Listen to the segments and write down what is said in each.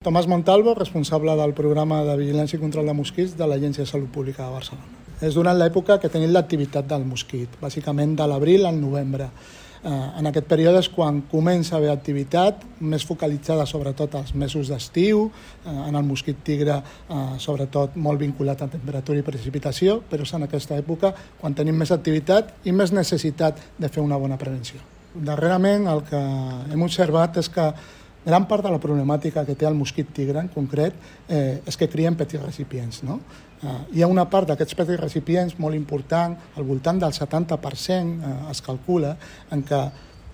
Tomàs Montalvo, responsable del programa de vigilància i control de mosquits de l'Agència de Salut Pública de Barcelona. És durant l'època que tenim l'activitat del mosquit, bàsicament de l'abril al novembre. En aquest període és quan comença a haver activitat, més focalitzada sobretot als mesos d'estiu, en el mosquit tigre sobretot molt vinculat a temperatura i precipitació, però és en aquesta època quan tenim més activitat i més necessitat de fer una bona prevenció. Darrerament el que hem observat és que gran part de la problemàtica que té el mosquit tigre en concret és que crien petits recipients. No? Hi ha una part d'aquests petits recipients molt important, al voltant del 70% es calcula, en què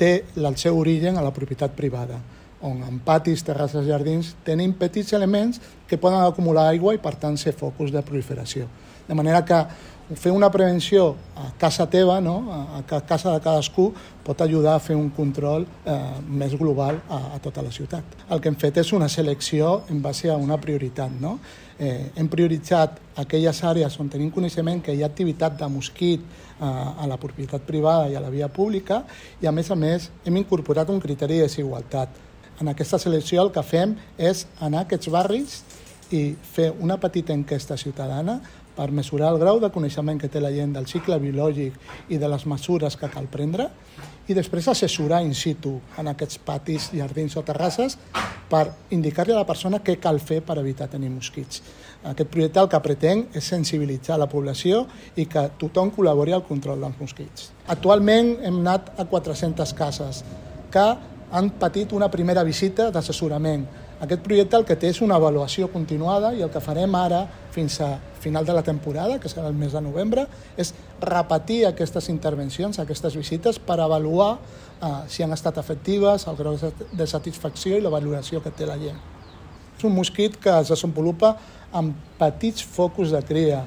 té el seu origen a la propietat privada, on en patis, terrasses, jardins, tenim petits elements que poden acumular aigua i per tant ser focus de proliferació. De manera que fer una prevenció a casa teva, no? A casa de cadascú, pot ajudar a fer un control més global a tota la ciutat. El que hem fet és una selecció en base a una prioritat. No? Hem prioritzat aquelles àrees on tenim coneixement que hi ha activitat de mosquit a la propietat privada i a la via pública i, a més, hem incorporat un criteri de desigualtat. En aquesta selecció el que fem és anar a aquests barris i fer una petita enquesta ciutadana per mesurar el grau de coneixement que té la gent del cicle biològic i de les mesures que cal prendre i després assessorar in situ en aquests patis, jardins o terrasses per indicar-li a la persona què cal fer per evitar tenir mosquits. Aquest projecte el que pretén és sensibilitzar la població i que tothom col·labori al control dels mosquits. Actualment hem anat a 400 cases que han patit una primera visita d'assessorament. Aquest projecte el que té és una avaluació continuada i el que farem ara fins a final de la temporada, que serà el mes de novembre, és repetir aquestes intervencions, aquestes visites, per avaluar si han estat efectives, el grau de satisfacció i la valoració que té la gent. És un mosquit que es desenvolupa amb petits focus de cria.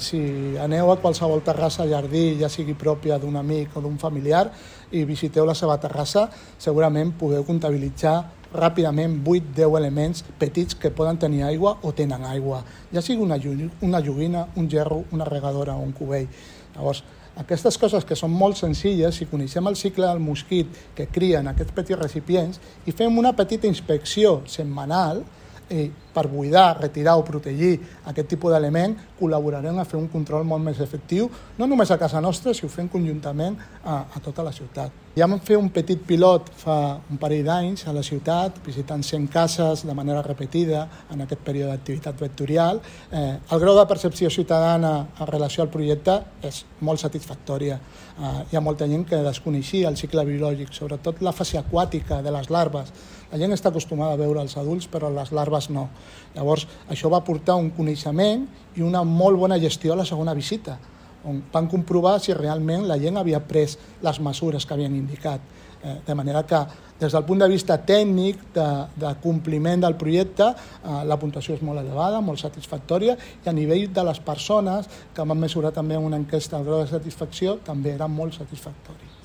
Si aneu a qualsevol terrassa, jardí, ja sigui pròpia d'un amic o d'un familiar, i visiteu la seva terrassa, segurament podeu comptabilitzar ràpidament 8-10 elements petits que poden tenir aigua o tenen aigua, ja sigui una joguina, un gerro, una regadora o un cubell. Llavors, aquestes coses que són molt senzilles, si coneixem el cicle del mosquit que cria en aquests petits recipients i fem una petita inspecció setmanal per buidar, retirar o protegir aquest tipus d'element, col·laborarem a fer un control molt més efectiu, no només a casa nostra, si ho fem conjuntament a tota la ciutat. Ja vam fer un petit pilot fa un parell d'anys a la ciutat, visitant 100 cases de manera repetida en aquest període d'activitat vectorial. El grau de percepció ciutadana en relació al projecte és molt satisfactòria. Hi ha molta gent que desconeixia el cicle biològic, sobretot la fase aquàtica de les larves. La gent està acostumada a veure els adults, però les larves no. Llavors, això va portar un coneixement i una molt bona gestió a la segona visita, on van comprovar si realment la gent havia pres les mesures que havien indicat. De manera que, des del punt de vista tècnic, de compliment del projecte, la puntuació és molt elevada, molt satisfactòria, i a nivell de les persones que van mesurar també una enquesta al grau de satisfacció també era molt satisfactori.